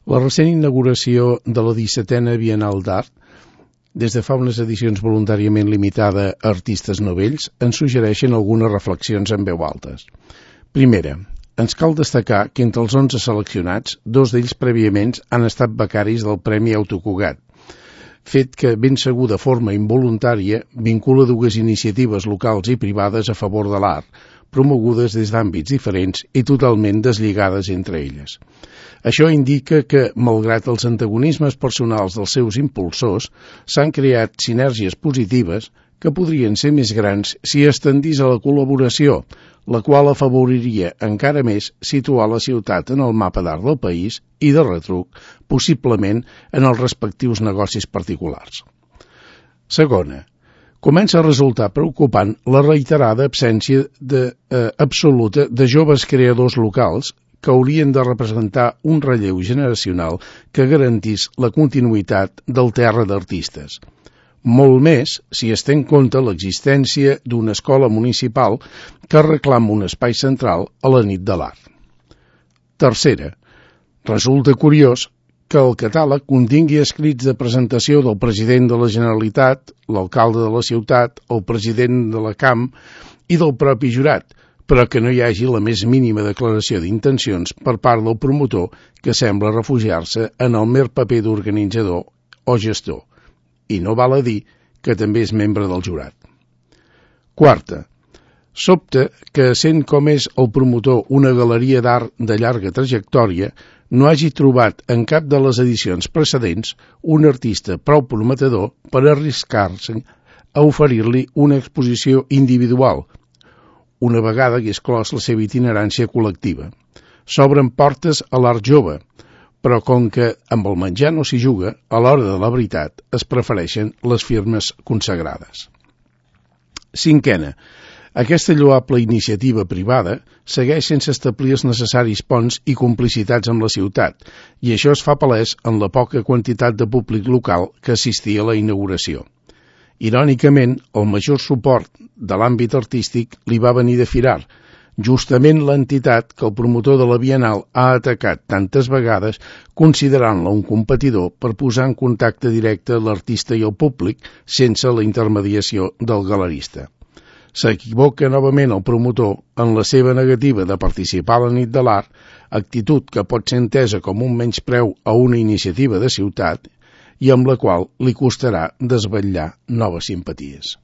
La recent inauguració de la 17a Bienal d'Art, des de fa unes edicions voluntàriament limitada a artistes novells, ens suggereixen algunes reflexions en veu altes. Primera, ens cal destacar que entre els 11 seleccionats, 2 d'ells prèviament han estat becaris del Premi Autocugat, fet que, ben segur de forma involuntària, vincula 2 iniciatives locals i privades a favor de l'art, promogudes des d'àmbits diferents i totalment deslligades entre elles. Això indica que, malgrat els antagonismes personals dels seus impulsors, s'han creat sinergies positives que podrien ser més grans si estendís a la col·laboració, la qual afavoriria encara més situar la ciutat en el mapa d'art del país i, de retruc, possiblement en els respectius negocis particulars. Segona, comença a resultar preocupant la reiterada absència absoluta de joves creadors locals que haurien de representar un relleu generacional que garantís la continuïtat del terra d'artistes. Molt més si es té en compte l'existència d'una escola municipal que reclama un espai central a la nit de l'art. Tercera, resulta curiós que el catàleg contingui escrits de presentació del president de la Generalitat, l'alcalde de la ciutat, el president de la CAM i del propi jurat, però que no hi hagi la més mínima declaració d'intencions per part del promotor que sembla refugiar-se en el mer paper d'organitzador o gestor, i no val a dir que també és membre del jurat. Quarta, sobta que, sent com és el promotor una galeria d'art de llarga trajectòria, no hagi trobat en cap de les edicions precedents un artista prou prometedor per arriscar-se a oferir-li una exposició individual, una vegada que és clos la seva itinerància col·lectiva. S'obren portes a l'art jove, però com que amb el menjar no s'hi juga, a l'hora de la veritat es prefereixen les firmes consagrades. Cinquena, aquesta lloable iniciativa privada segueix sense establir els necessaris ponts i complicitats amb la ciutat, i això es fa palès en la poca quantitat de públic local que assistia a la inauguració. Irònicament, el major suport de l'àmbit artístic li va venir de Firar, justament l'entitat que el promotor de la Bienal ha atacat tantes vegades considerant-la un competidor per posar en contacte directe l'artista i el públic sense la intermediació del galerista. S'equivoca novament el promotor en la seva negativa de participar a la nit de l'art, actitud que pot ser entesa com un menyspreu a una iniciativa de ciutat i amb la qual li costarà desvetllar noves simpaties.